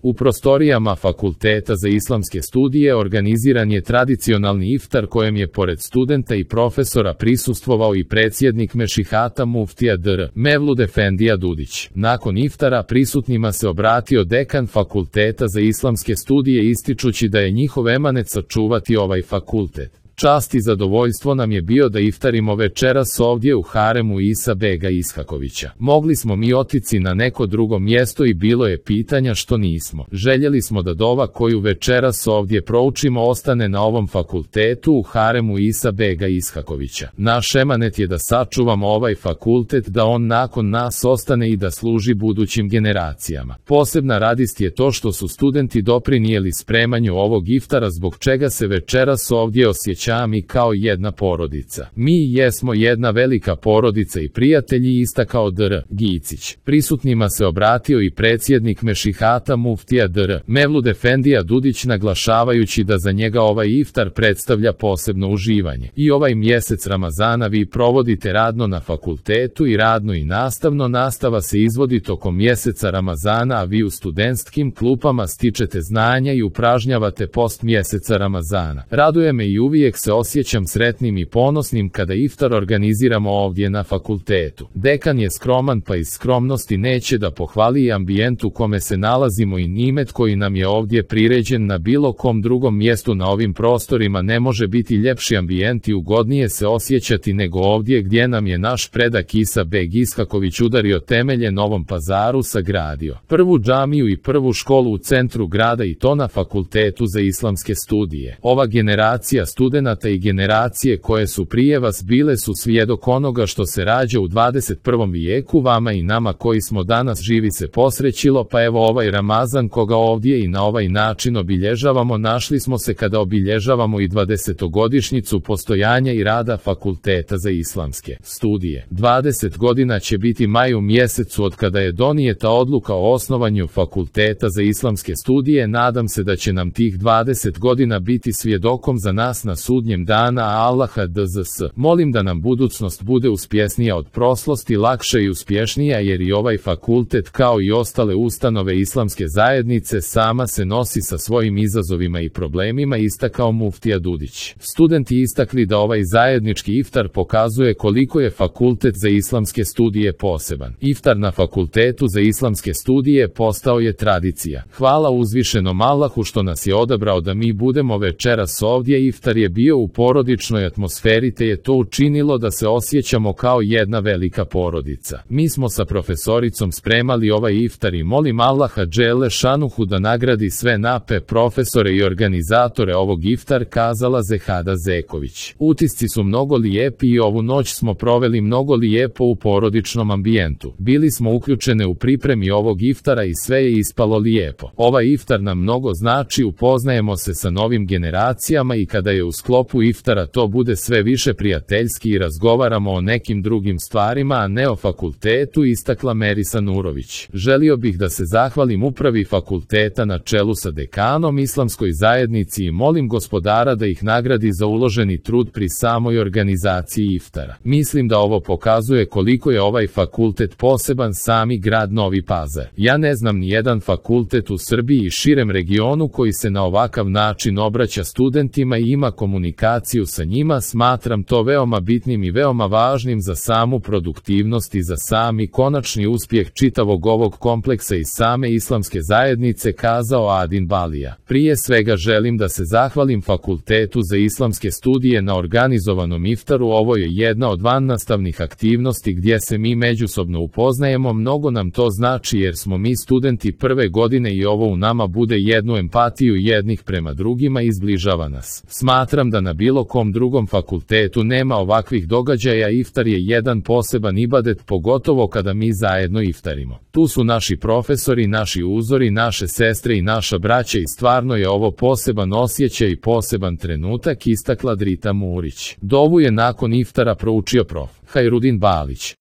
U prostorijama Fakulteta za islamske studije organiziran je tradicionalni iftar kojem je pored studenta i profesora prisustvovao i predsjednik Mešihata muftija dr. Mevlud Efendija Dudić. Nakon iftara prisutnima se obratio dekan Fakulteta za islamske studije ističući da je njihov emanet sačuvati ovaj fakultet. Čast i zadovoljstvo nam je bio da iftarimo večeras ovdje u haremu Isa bega Ishakovića. Mogli smo mi otići na neko drugo mjesto i bilo je pitanja što nismo. Željeli smo da dova koju večeras ovdje proučimo ostane na ovom fakultetu u haremu Isa bega Ishakovića. Naš emanet je da sačuvamo ovaj fakultet, da on nakon nas ostane i da služi budućim generacijama. Posebna radist je to što su studenti doprinijeli spremanju ovog iftara, zbog čega se večeras ovdje osjećamo mi kao jedna porodica. Mi jesmo jedna velika porodica i prijatelji, istakao dr. Gicić. Prisutnima se obratio i predsjednik Mešihata muftija dr. Mevlud Efendija Dudić, naglašavajući da za njega ovaj iftar predstavlja posebno uživanje. I ovaj mjesec Ramazana vi provodite radno na fakultetu i radno i nastavno. Nastava se izvodi tokom mjeseca Ramazana, a vi u studentskim klupama stičete znanja i upražnjavate post mjeseca Ramazana. Raduje me i uvijek se osjećam sretnim i ponosnim kada iftar organiziramo ovdje na fakultetu. Dekan je skroman, pa iz skromnosti neće da pohvali i ambijent u kome se nalazimo i nimet koji nam je ovdje priređen. Na bilo kom drugom mjestu na ovim prostorima ne može biti ljepši ambijent i ugodnije se osjećati nego ovdje gdje nam je naš predak Isa beg Ishaković udario temelje, Novom Pazaru sagradio prvu džamiju i prvu školu u centru grada, i to na Fakultetu za islamske studije. Ova generacija studenata i generacije koje su prije vas bile su svjedok onoga što se rađa u 21. vijeku. Vama i nama koji smo danas živi se posrećilo, pa evo ovaj Ramazan koga ovdje i na ovaj način obilježavamo, našli smo se kada obilježavamo i 20-godišnjicu postojanja i rada Fakulteta za islamske studije. 20 godina će biti maj u mjesecu od kada je donijeta odluka o osnovanju Fakulteta za islamske studije. Nadam se da će nam tih 20 godina biti svjedokom za nas na sudnjem dana, a Allaha DZS molim da nam budućnost bude uspjesnija od proslosti, lakša i uspješnija, jer i ovaj fakultet kao i ostale ustanove islamske zajednice sama se nosi sa svojim izazovima i problemima, istakao muftija Dudić. Studenti istakli da ovaj zajednički iftar pokazuje koliko je Fakultet za islamske studije poseban. Iftar na Fakultetu za islamske studije postao je tradicija. Hvala uzvišenom Allahu što nas je odabrao da mi budemo večeras ovdje. Iftar je bio u porodičnoj atmosferi, te je to učinilo da se osjećamo kao jedna velika porodica. Mi smo sa profesoricom spremali ovaj iftar i molim Allaha dželle šanuhu da nagradi sve nape profesore i organizatore ovog iftar, kazala Zehada Zeković. Utisci su mnogo lijepi i ovu noć smo proveli mnogo lijepo u porodičnom ambijentu. Bili smo uključene u pripremi ovog iftara i sve je ispalo lijepo. Ovaj iftar nam mnogo znači, upoznajemo se sa novim generacijama i kada je u sklopu iftara to bude sve više prijateljski i razgovaramo o nekim drugim stvarima, a ne o fakultetu, istakla Merisa Nurović. Želio bih da se zahvalim upravi fakulteta na čelu sa dekanom, islamskoj zajednici i molim gospodara da ih nagradi za uloženi trud pri samoj organizaciji iftara. Mislim da ovo pokazuje koliko je ovaj fakultet poseban, sami grad Novi Pazar. Ja ne znam ni jedan fakultet u Srbiji i širem regionu koji se na ovakav način obraća studentima i ima komunikaciju sa njima. Smatram to veoma bitnim i veoma važnim za samu produktivnost i za sami konačni uspjeh čitavog ovog kompleksa i same islamske zajednice, kazao Adin Balija. Prije svega želim da se zahvalim Fakultetu za islamske studije na organizovanom iftaru. Ovo je jedna od vannastavnih aktivnosti gdje se mi međusobno upoznajemo. Mnogo nam to znači jer smo mi studenti prve godine i ovo u nama bude jednu empatiju jednih prema drugima i zbližava nas. Smatram da na bilo kom drugom fakultetu nema ovakvih događaja. Iftar je jedan poseban ibadet, pogotovo kada mi zajedno iftarimo. Tu su naši profesori, naši uzori, naše sestre i naša braća i stvarno je ovo poseban osjećaj i poseban trenutak, istakla Drita Murić. Dovu je nakon iftara proučio prof. Hajrudin Balić.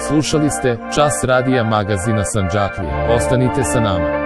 Slušali ste Čas radija magazina Sandžaklija. Ostanite sa nama.